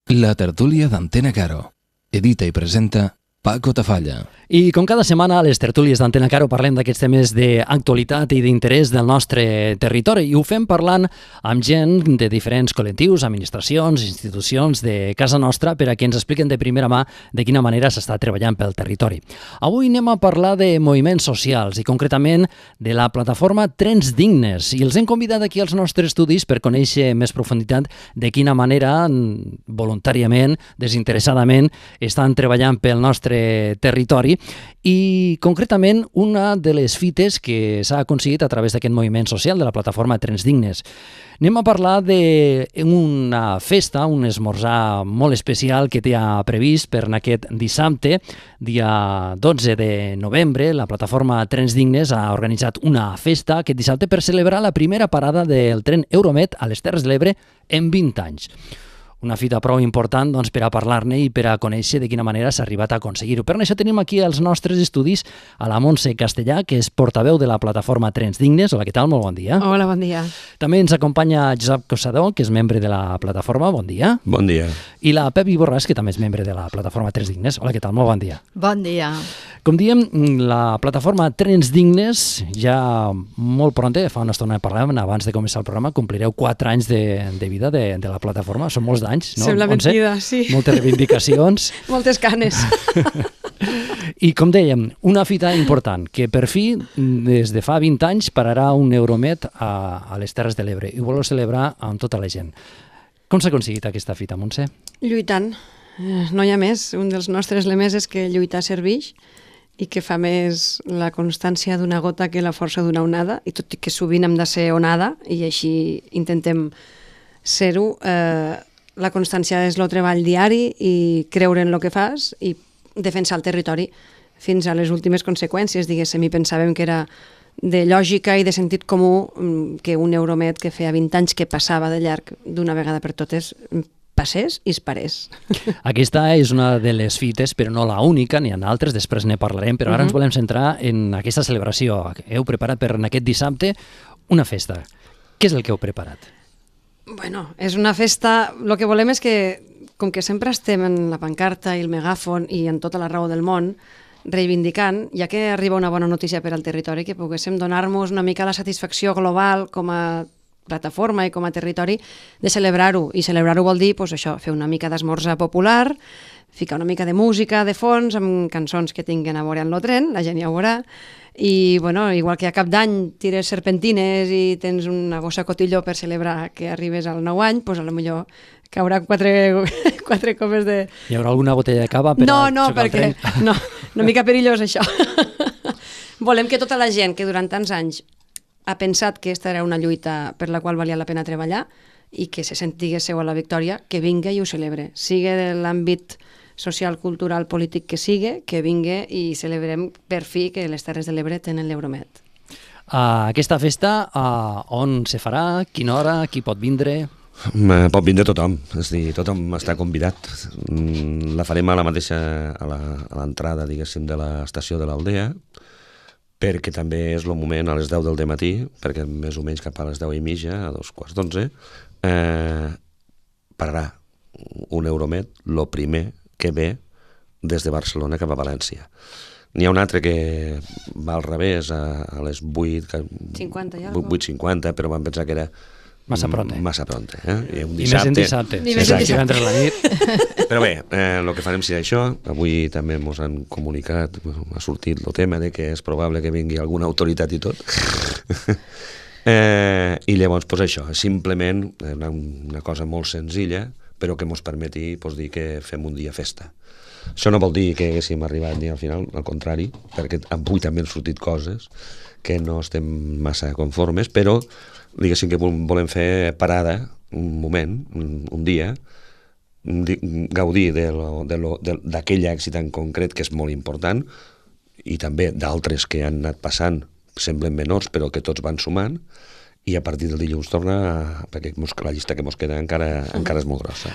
La tertúlia d'Antena Caro. Edita i presenta Paco Tafalla. I com cada setmana a les tertúlies d'Antena Caro parlem d'aquests temes d'actualitat i d'interès del nostre territori i ho fem parlant amb gent de diferents col·lectius, administracions, institucions de casa nostra per a que ens expliquen de primera mà de quina manera s'està treballant pel territori. Avui anem a parlar de moviments socials i concretament de la plataforma Trens Dignes i els hem convidat aquí als nostres estudis per conèixer més profunditat de quina manera voluntàriament, desinteressadament estan treballant pel nostre territori i concretament una de les fites que s'ha aconseguit a través d'aquest moviment social de la plataforma Trens Dignes. Anem a parlar d'una festa, un esmorzar molt especial que té previst per aquest dissabte, dia 12 de novembre. La plataforma Trens Dignes ha organitzat una festa aquest dissabte per celebrar la primera parada del tren Euromed a les Terres de l'Ebre en 20 anys. Una fita prou important per a parlar-ne i per a conèixer de quina manera s'ha arribat a aconseguir-ho. Per això tenim aquí als nostres estudis a la Montse Castellà, que és portaveu de la plataforma Trens Dignes. Hola, què tal? Molt bon dia. Hola, bon dia. També ens acompanya Josep Cosador, que és membre de la plataforma. Bon dia. Bon dia. I la Pepi Borràs, que també és membre de la plataforma Trens Dignes. Hola, què tal? Molt bon dia. Bon dia. Com diem, la plataforma Trens Dignes ja molt pronta, fa una estona parlàvem, abans de començar el programa, complireu 4 anys de vida de la plataforma. Són molts d'anys, no? Sembla mentida, sí. Moltes reivindicacions. Moltes canes. I com dèiem, una fita important, que per fi, des de fa 20 anys, pararà un Euromed a les Terres de l'Ebre i voleu celebrar amb tota la gent. Com s'ha aconseguit aquesta fita, Montse? Lluitant. No hi ha més. Un dels nostres lemes és que lluitar serveix i que fa més la constància d'una gota que la força d'una onada, i tot i que sovint hem de ser onada, i així intentem ser-ho, la constància és el treball diari i creure en el que fas i defensar el territori fins a les últimes conseqüències, diguéssim, i pensàvem que era de lògica i de sentit comú que un Euromed que feia 20 anys que passava de llarg d'una vegada per totes passés i es parés. Aquesta és una de les fites, però no la única, n'hi ha altres, després ne parlarem, però ara ens volem centrar en aquesta celebració. Heu preparat per aquest dissabte una festa. Què és el que heu preparat? Bueno, és una festa... El que volem és que, com que sempre estem en la pancarta i el megàfon i en tota la raó del món, reivindicant, ja que arriba una bona notícia per al territori, que poguéssim donar-nos una mica la satisfacció global com a plataforma i com a territori de celebrar-ho. I celebrar-ho vol dir, doncs això, fer una mica d'esmorzar popular, ficar una mica de música de fons amb cançons que tinguin a veure amb el tren, la gent ja ho veurà, i bueno, igual que a cap d'any tires serpentines i tens una bossa cotilló per celebrar que arribes al 9 any, doncs potser caurà 4 copes de... Hi haurà alguna botella de cava per a xocar el tren? No, una mica perillós això. Volem que tota la gent que durant tants anys ha pensat que aquesta era una lluita per la qual valia la pena treballar i que se sentigués seu a la victòria, que vinga i ho celebre. Sigue de l'àmbit social, cultural, polític que sigue, que vinga i celebrem per fi que les Terres de l'Ebre tenen l'Euromed. Aquesta festa, on se farà? Quina hora? Qui pot vindre? Pot vindre tothom, és a dir, tothom està convidat. La farem a la mateixa, a l'entrada, diguéssim, de l'estació de l'Aldea, perquè també és el moment a les 10 del matí, perquè més o menys cap a les 10:30, a 11:45, pararà un Euromed, el primer que ve des de Barcelona cap a València. N'hi ha un altre que va al revés, a les 8:50, però vam pensar que era massa pronte. I un dissabte. I més en dissabte. Exacte. La nit. Però bé, el que farem serà això. Avui també ens han comunicat, ha sortit el tema de que és probable que vingui alguna autoritat i tot. I llavors, doncs això, simplement una cosa molt senzilla, però que ens permeti dir que fem un dia festa. Això no vol dir que haguéssim arribat ni al final, al contrari, perquè avui també han sortit coses que no estem massa conformes, però diguéssim que volem fer parada, un moment, un dia, gaudir d'aquell èxit en concret que és molt important i també d'altres que han anat passant, semblen menors però que tots van sumant, i a partir del dilluns torna, perquè la llista que ens queda encara és molt grossa.